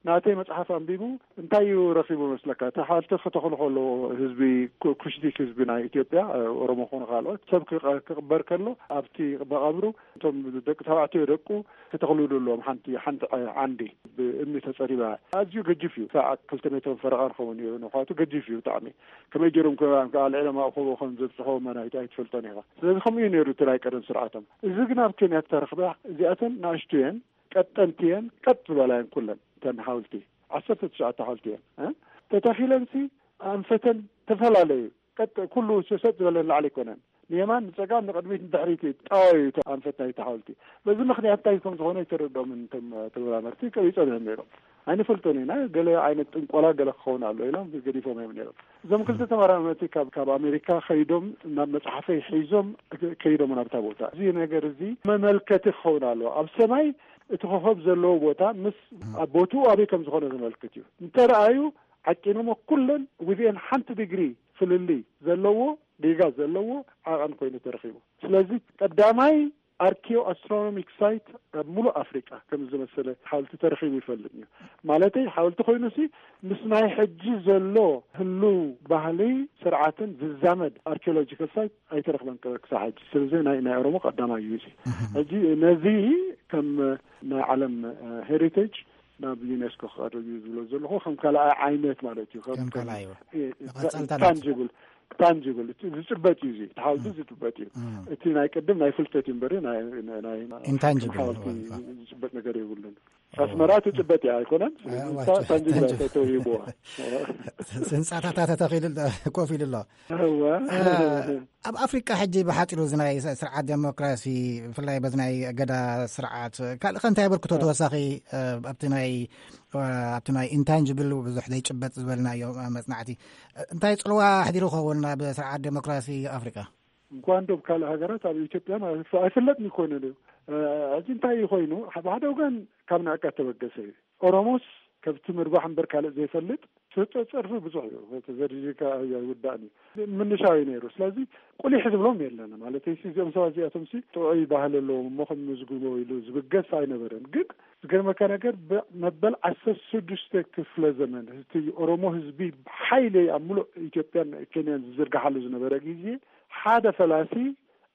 ናተይ መጽሓፍ ኣንቢቡ እንታይ እዩ ረኺቡ መስለካ? እቲ ሓወልቲ ክተኽሉ ከለዎ ህዝቢ ኩ-፣ ኩሽቲክ ህዝቢ ናይ ኢትዮጵያ፣ ኦሮሞ ኾኑ ካልኦት ሰብ ክቐ-፣ ክቕበር ከሎ ኣብቲ መቓብሩ እቶም ደቂ ተባዕትዮ ደቁ ክተኽልሉ ኣለዎም። ሓንቲ፣ ሓንቲ ዓ-፣ ዓንዲ ብእምኒ ተጸሪባ፣ ኣዝዩ ገጅፍ እዩ። ክሳዕ ክልተ ሜትሮ ፈረቓ ክኸውን እዩ ንውሓቱ፣ ገጅፍ እዩ ብጣዕሚ። ከመይ ገይሮም ከ-፣ ከ-፣ ኣልዒሎም ኣብ ከበ ከም ዘብጽሖ መን ኣይ-፣ ኣይትፈልጦን ኢኻ። ስለዚ ከምኡ እዩ ነይሩ እቲ ናይ ቀደም ስርዓቶም። እዚ ግን ኣብ ኬንያ እተረኽበ እዚኣተን ንኣሽቱ እየን፣ ቀጠንቲ እየን፣ ቀጥ ዝበላ እየን ኩለን እተን ሓወልቲ። ዓሰርተ ትሽዓተ ሓወልቲ እየን፣ እ? ተተኺለንሲ ኣንፈተን ተፈላለዩ። ቀጥ-፣ ኩሉ ሰጥ ዝበለ ንላዕሊ ኣይኮነን። ንየማን፣ ንጸጋም፣ ንቕድሚት፣ ንድሕሪት እዩ። ጠዋዩ እቲ ኣንፈት ናይቲ ሓወልቲ። በዚ ምኽንያት እንታይ ከም ዝኾነ ኣይተረድኦምን እቶም ተመራመርቲ፣ ቀቢጾም እዮም ነይሮም። ኣይንፈልጦን ኢና፣ ገለ ዓይነት ጥንቆላ ገለ ክኸውን ኣሎ ኢሎም ገዲፎም እዮም ነይሮም። እዞም ክልተ ተመራመርቲ ካብ፣ ካብ ኣሜሪካ ከይዶም ናብ መጽሓፈይ ሒዞም ከይዶም ናብታ ቦታ። እዚ ነገር እዚ መመልከቲ ክኸውን ኣለዎ። ኣብ ሰማይ እቲ ኮኸብ ዘለዎ ቦታ ምስ ኣብ ቦትኡ ኣበይ ከም ዝኾነ ዘመልክት እዩ። እንተረኣዩ ዓቂኖሞ ኩለን ዊዝን ሓንቲ ዲግሪ ፍልልይ ዘለዎ፣ ጌጋ ዘለዎ ዓቐን ኮይኑ ተረኺቡ። ስለዚ ቀዳማይ ኣርኪዮ ኣስትሮኖሚክ ሳይት ኣብ ሙሉእ ኣፍሪቃ ከም ዝመሰለ ሓወልቲ ተረኺቡ ይፈልጥ እዩ። ማለተይ ሓወልቲ ኮይኑሲ ምስ ናይ ሕጂ ዘሎ ህሉው ባህሊ ስርዓትን ዝዛመድ ኣርኪዮሎጂካል ሳይት ኣይተረኽበን ክሳብ ሕጂ። ስለዚ ናይ፣ ናይ ኦሮሞ ቀዳማይ እዩ እዚ። እህ። ሕጂ ነዚ ከም ናይ ዓለም፣ እ፣ ሄሪቴጅ ናብ ዩኔስኮ ክቐርብ እዩ ዝብሎ ዘለኹ። ከም ካልኣይ ዓይነት ማለት እዩ። ከም፣ ከም ካልኣይ እዩ። እ፣ እ፣ መቐጸልታ ናቱ። ታንጂብል፣ ታንጂብል፣ እቲ ዝጭበጥ እዩ እዚ። እቲ ሓወልቲ እም። ዝጭበጥ እዩ። እም። እቲ ናይ ቅድም ናይ ፍልጠት እዩ እምበሪ ናይ፣ ናይ፣ ናይ ኢንታንጂብል ሓወልቲ እዩ። ዝጭበጥ ነገር የብሉን። እዋ። ኣስመራ ትጭበጥ እያ ኣይኮነን? ስለዚ እዋ፣ እሳ ታንጂብል እያ ኢንታንጂብል። ተተውሂብዋ። ህንጻታታ ተተኺሉ ኣሎ፣ ኮፍ ኢሉ ኣሎ። እዋ። እ፣ ኣብ ኣፍሪቃ ሕጂ ብሓጺሩ እዚ ናይ ስ-፣ ስርዓት ዴሞክራሲ፣ ብፍላይ በዚ ናይ ገዳ ስርዓት፣ ካልእ ከ እንታይ ኣበርክቶ እ። ተወሳኺ፣ እ፣ ኣብቲ ናይ፣ እ፣ ኣብቲ ናይ ኢንታንጅብል ብዙሕ ዘይጭበጥ ዝበልናዮ፣ እ፣ መጽናዕቲ፣ እ፣ እንታይ ጽልዋ ኣሕዲሩ ይኸውን ኣብ ስርዓት ዴሞክራሲ ኣፍሪቃ? እንኳን ዶ ካልእ ሃገራት፣ ኣብ ኢትዮጵያ ማለት ኣይፍለጥን ይኮነ እዩ። እ፣ እዚ እንታይ ኮይኑ፣ ሓደ ወገን ካብ ንዕቀት ተበገሰ እዩ። ኦሮሞስ ከብቲ ምርባሕ እምበር ካልእ ዘይፈልጥ፣ ስርቂ ጸርፊ ብዙሕ እዩ። ተዘርዚርካ ኣይውዳእን እዩ። ምንሻው እዩ ነይሩ። ስለዚ ቁሊሕ ዝብሎም የለን። ማለት እዚኦም ሰባት እዚኣቶም ሲ ጥዑይ ባህሊ ኣለዎም እሞ ከም መዝግቦ ኢሉ ዝብገስ ኣይነበረን። ግን ዝገርመካ ነገር ብ-፣ መበል ዓሰርተ ሽዱሽተ ክፍለ ዘመን እቲ ኦሮሞ ህዝቢ ብሓይሊ ኣብ ሙሉእ ኢትዮጵያን ኬንያን ዝዝርግሓሉ ዝነበረ ግዜ ሓደ ፈላሲ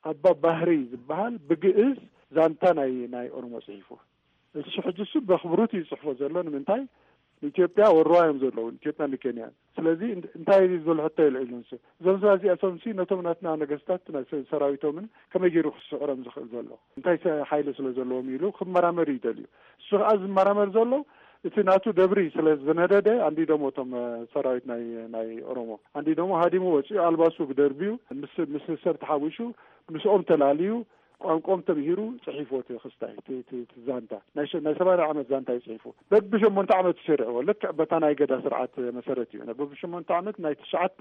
ኣባ ባህሪ ዝበሃል ብግእዝ ዛንታ ናይ ናይ ኦሮሞ ጽሒፉ። እሱ ሕጂ እሱ በኽብሩት እዩ ጽሕፎ ዘሎ። ንምንታይ? ንኢትዮጵያ ወርዋ እዮም ዘለዉ፣ ኢትዮጵያ ንኬንያ። ስለዚ እን- እንታይ እዩ ዝብል ሕቶ የልዕሉ። ንሱ እዞም ሰባት እዚኣቶም ሲ ነቶም ናትና ነገስታት ናይ ሰ- ሰራዊቶምን ከመይ ገይሩ ክስዕሮም ዝኽእል ዘሎ? እንታይ ሰ- ሓይሊ ስለ ዘለዎም ኢሉ ክመራመር ይደልዩ። እሱ ከዓ ዝመራመር ዘሎ እቲ ናቱ ደብሪ ስለ ዝነደደ፣ ኣንዲዶሞ እቶም ሰራዊት ናይ ናይ ኦሮሞ ኣንዲዶሞ ሃዲሙ ወፂኡ፣ ኣልባሱ ደርብዩ ምስ ምስ ሰብ ተሓዊሹ ምስኦም ተላልዩ፣ ቋንቋኦም ተምሂሩ ጽሒፍዎ እቲ ክስታይ፣ እቲ- እቲ- እቲ ዛንታ ናይ ሸ- ናይ ሰማንያ ዓመት ዛንታ እዩ ጽሒፉ። በብሸሞንተ ዓመት ይሰርዕዎ፣ ልክዕ በታ ናይ ገዳ ስርዓት መሰረት እዩ። በብሸሞንተ ዓመት ናይ ትሽዓተ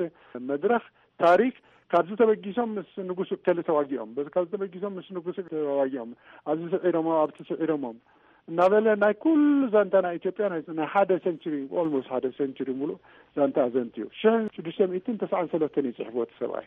መድረኽ ታሪክ፣ ካብዚ ተበጊሶም ምስ ንጉስ እከሊ ተዋጊኦም፣ በዚ ካብዚ ተበጊሶም ምስ ንጉስ ተዋጊኦም፣ ኣብዚ ስዒሮሞ ኣብቲ ስዒሮሞም እናበለ ናይ ኩሉ ዛንታ ናይ ኢትዮጵያ ናይ ናይ ሓደ ሰንቹሪ፣ ኦልሞስት ሓደ ሰንቹሪ ሙሉእ ዛንታ ኣዘንትዩ። ሽሕ ሽዱሽተ ሚእትን ተስዓን ሰለስተን እዩ ጽሕፍዎ እቲ ሰብኣይ።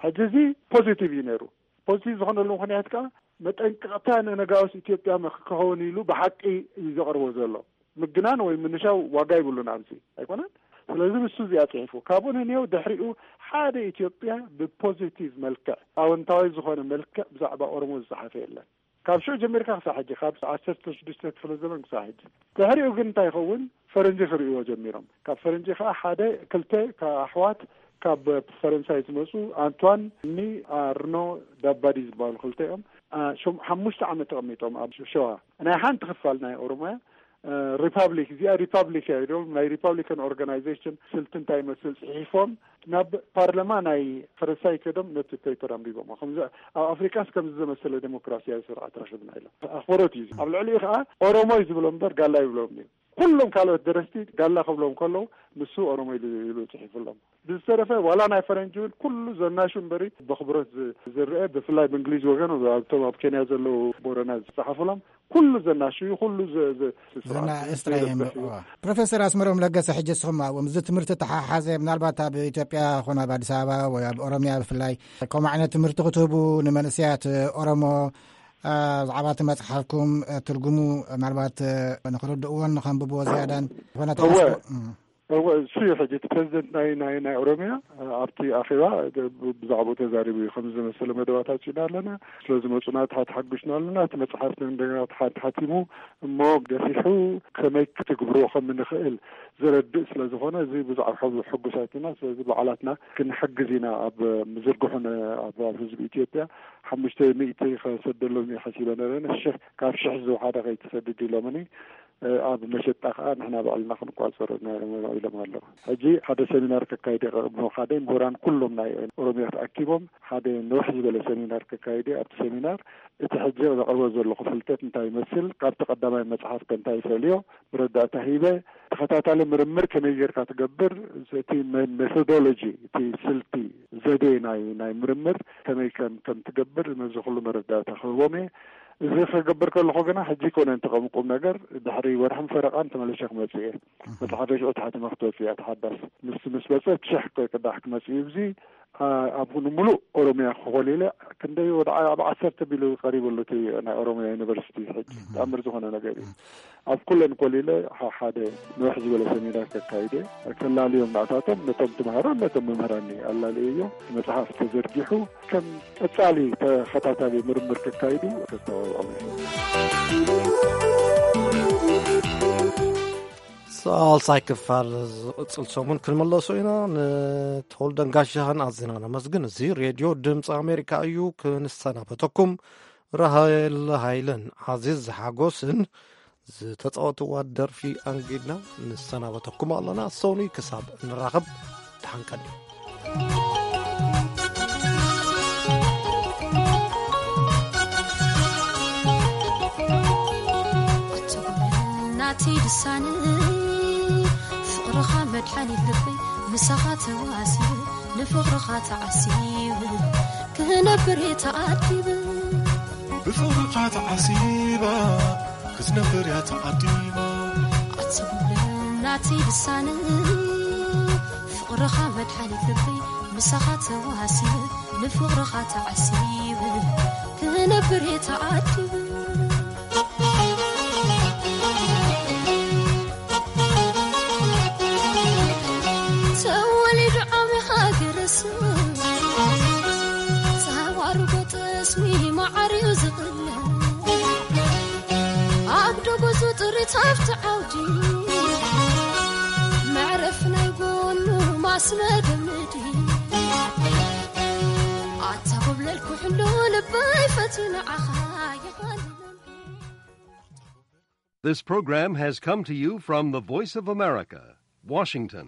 ሕጂ እዚ ፖዚቲቭ እዩ ነይሩ። ፖዚቲቭ ዝኾነሉ ምኽንያት ከዓ መጠንቀቕታ ንነጋውስ ኢትዮጵያ ክኸውን ኢሉ ብሓቂ እዩ ዘቕርቦ ዘሎ። ምግናን ወይ ምንሻው ዋጋ ይብሉን ኣብዚ ኣይኮነን። ስለዚ ንሱ እዚኣ ጽሒፉ ካብኡ ንንየው ድሕሪኡ ሓደ ኢትዮጵያ ብፖዚቲቭ መልክዕ ኣወንታዊ ዝኾነ መልክዕ ብዛዕባ ኦሮሞ ዝጸሓፈ የለን። ካብ ሽዑ ጀሚርካ ክሳብ ሕጂ፣ ካብ ዓሰርተ ሽዱሽተ ክፍለ ዘመን ክሳብ ሕጂ። ድሕሪኡ ግን እንታይ ይኸውን? ፈረንጂ ክርእይዎ ጀሚሮም። ካብ ፈረንጂ ከዓ ሓደ ክልተ ካብ ኣሕዋት ካብ ፈረንሳይ ዝመፁ፣ ኣንቷን ኒ ኣርኖ ዳባዲ ዝበሃሉ ክልተ እዮም። አ፣ ሸም- ሓሙሽተ ዓመት ተቐሚጦም ኣብ ሸዋ። ናይ ሓንቲ ክፋል ናይ ኦሮሚያ ሪፓብሊክ፣ እዚኣ ሪፓብሊክ እያ ኢሎም ናይ ሪፓብሊካን ኦርጋናይዜሽን ስልቲ እንታይ ይመስል ጽሒፎም ናብ ፓርላማ ናይ ፈረንሳይ ከዶም ነቲ ፔፐር ኣንቢቦም። ከምዚ ኣብ ኣፍሪቃስ ከምዚ ዘመሰለ ዴሞክራሲያዊ ስርዓት ረኽብና ኢሎም። ኣኽብሮት እዩ። ኣብ ልዕሊኡ ከዓ ኦሮሞ እዩ ዝብሎም እምበር ጋላ ይብሎም እዩ። ኩሎም ካልኦት ደረስቲ ጋላ ክብሎም ከለዉ ንሱ ኦሮሞ ኢሉ ኢሉ ጽሒፉሎም። ብዝተረፈ ዋላ ናይ ፈረንጂ እውን ኩሉ ዘናሹ እምበሪ በኽብሮት ዝ- ዝረአ፣ ብፍላይ ብእንግሊዝ ወገን ኣብቶም ኣብ ኬንያ ዘለዉ ቦረና ዝጸሓፉሎም ኩሉ ዘናሹ እዩ። ኩሉ ዘ- ዘ- ዘና ስርዓት ኤርትራ እዩ ዝርብሕ እዩ። እምበር። ፕሮፌሰር ኣስመሮም ለገሰ፣ ሕጂ እስኹም ኣብኦም እዚ ትምህርቲ ተሓሓዘ፣ ምናልባት ኣብ ኢትዮጵያ ኾነ ኣብ ኣዲስ ኣበባ ወይ ኣብ ኦሮሚያ ብፍላይ ከምኡ ዓይነት ትምህርቲ ክትህቡ ንመንእሰያት ኦሮሞ፣ አ፣ ብዛዕባ እቲ መጽሓፍኩም፣ አ፣ ትርጉሙ ምናልባት፣ አ፣ ንኽርድእዎን ንኸንብብዎ ዝያዳን ዝኾነ እወ። ተሓስቦ? እም። እወ፣ እሱ እዩ ሕጂ እቲ ፕሬዚደንት ናይ ናይ ናይ ኦሮሚያ፣ አ፣ ኣብቲ ኣኼባ ብ- ብዛዕባኡ ተዛሪቡ እዩ። ከምዚ ዝመሰለ መደባት ኣውፂእና ኣለና፣ ስለ ዝመፁና ተሓ- ተሓጒስና ኣለና። እቲ መፅሓፍ እንደገና ተሓ- ተሓቲሙ እሞ ገፊሑ ከመይ ክትግብርዎ ከም እንኽእል ዘረድእ ስለ ዝኾነ፣ እዚ ብዛዕባ ሕጉ- ሕጉሳት ኢና። ስለዚ ባዕላትና ክንሕግዝ ኢና። ኣብ ምዝርግሑን ኣብ ኣብ ህዝቢ ኢትዮጵያ ሓሙሽተ ሚእቲ ከሰደሎም እየ ሓሲበ ነረ። ሽሕ ካብ ሽሕ ዝወሓደ ከይትሰድድ ኢሎምኒ። ኣብ መሸጣ ከዓ ንሕና ባዕልና ክንቋፀሮ ኢና ኢሎም ኣለዉ። ሕጂ ሓደ ሰሚናር ከካይድ እየ፣ ሓደ ምሁራን ኩሎም ናይ ኦሮሚያ ተኣኪቦም ሓደ ነውሕ ዝበለ ሰሚናር ከካይድ እየ። ኣብቲ ሰሚናር እቲ ሕጂ ዘቕርቦ ዘለኹ ፍልጠት እንታይ ይመስል፣ ካብቲ ቀዳማይ መፅሓፍ ከ እንታይ ይፈልዮ፣ መረዳእታ ሂበ። ተኸታታሊ ምርምር ከመይ ጌርካ ትገብር፣ እቲ መ- ሜቶዶሎጂ፣ እቲ ስልቲ፣ ዘዴ ናይ ናይ ምርምር ከመይ ከም ከም ትገብር ነዚ ኩሉ መረዳእታ ክህቦም እየ። እዚ ክገብር ከለኹ ግና ሕጂ ኣይኮነን እቲ ቁም ነገር፣ ድሕሪ ወርሕን ፈረቓን ተመሊሰ ክመጽእ እየ። መጽሓፈይ ሽዑ ተሓቲመ ክትወጽእ እያ፣ ተሓዳስ ምስ ምስ መጸት ሽሕ ቅዳሕ ክመጽእ እዩ። እዚ ኣ- ኣብ ንምሉእ ኦሮሚያ ክኾሊለ ክንደይ ወደ ዓ- ኣብ ዓሰርተ ቢሉ ቀሪቡ ኣሎ እቲ ናይ ኦሮሚያ ዩኒቨርሲቲ ሕጂ ተኣምር ዝኾነ ነገር እዩ። ኣብ ኩለን ኮሊለ ሓ- ሓደ ነውሕ ዝበለ ሰሚናር ከካይደ፣ ከላልዮም ናእታቶም ነቶም ትምሃሮ ነቶም መምህራን ኣላልየ እዮም። መጽሓፍ ተዘርጊሑ ከም ቀጻሊ ተኸታታሊ ምርምር ከካይዱ ከስተባብዖም እዩ። ሳልሳይ ክፋል ዝቕጽል ሰሙን ክንመለሶ ኢና። ንተወልደን ጋሻህን ኣዝና ነመስግን። እዚ ሬድዮ ድምፂ ኣሜሪካ እዩ። ክንሰናበተኩም ራሄል ሃይለን ዓዚዝ ሓጎስን ዝተፃወትዋ ደርፊ ኣንጊድና ንሰናበተኩም ኣለና። ሶኒ ክሳብ እንራኸብ ደሓን ቀኒ። ናተይ ልሳን ፍቕርኻ መድሓኒት ልበይ ምሳኻ ተዋሲቡ ንፍቕርኻ ተዓሲቡ ክነብር እየ ተኣዲበ ብፍቕርኻ ተዓሲባ ክትነብር እያ ተዓዲባ ኣትብለ ናተይ ልሳን ፍቕርኻ መድሓኒት ልበይ ምሳኻ ተዋሲቡ ንፍቕርኻ ተዓሲቡ ክነብር እየ ተኣዲበ ተወሊዱ ዓብኻ ገረሱ ስሚ ማዓርዩ ዝቕለ ኣብ ደጎዙ ጥሪት ሃብቲ ዓውዲ መዕረፍ ናይ ጎኑ ማስመደምዲ ኣታ ጎብለል ኩሕሉ ልበይ ፈትዩ ንዓኻ ይኸልል። This program has come to you from the Voice of America, Washington.